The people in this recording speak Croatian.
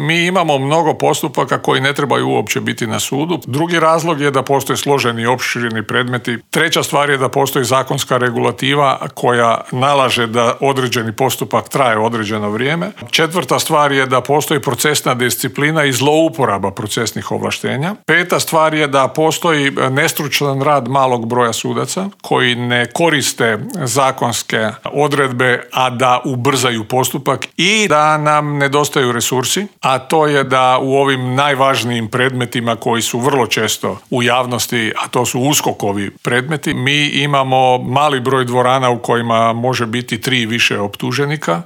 mi imamo mnogo postupaka koji ne trebaju uopće biti na sudu. Drugi razlog je da postoje složeni i opširni predmeti. Treća stvar je da postoji zakonska regulativa koja nalaže da određeni postupak traje određeno vrijeme. Četvrta stvar je da postoji procesna disciplina i zlouporaba procesnih ovlaštenja. Peta stvar je da postoji nestručan rad malog broja sudaca koji ne koriste zakonske odredbe, a da ubrzaju postupak i da nam nedostaju resursi, a to je da u ovim najvažnijim predmetima koji su vrlo često u javnosti, a to su USKOK-ovi predmeti, mi imamo mali broj dvorana u kojima može biti 3 i više optuženika.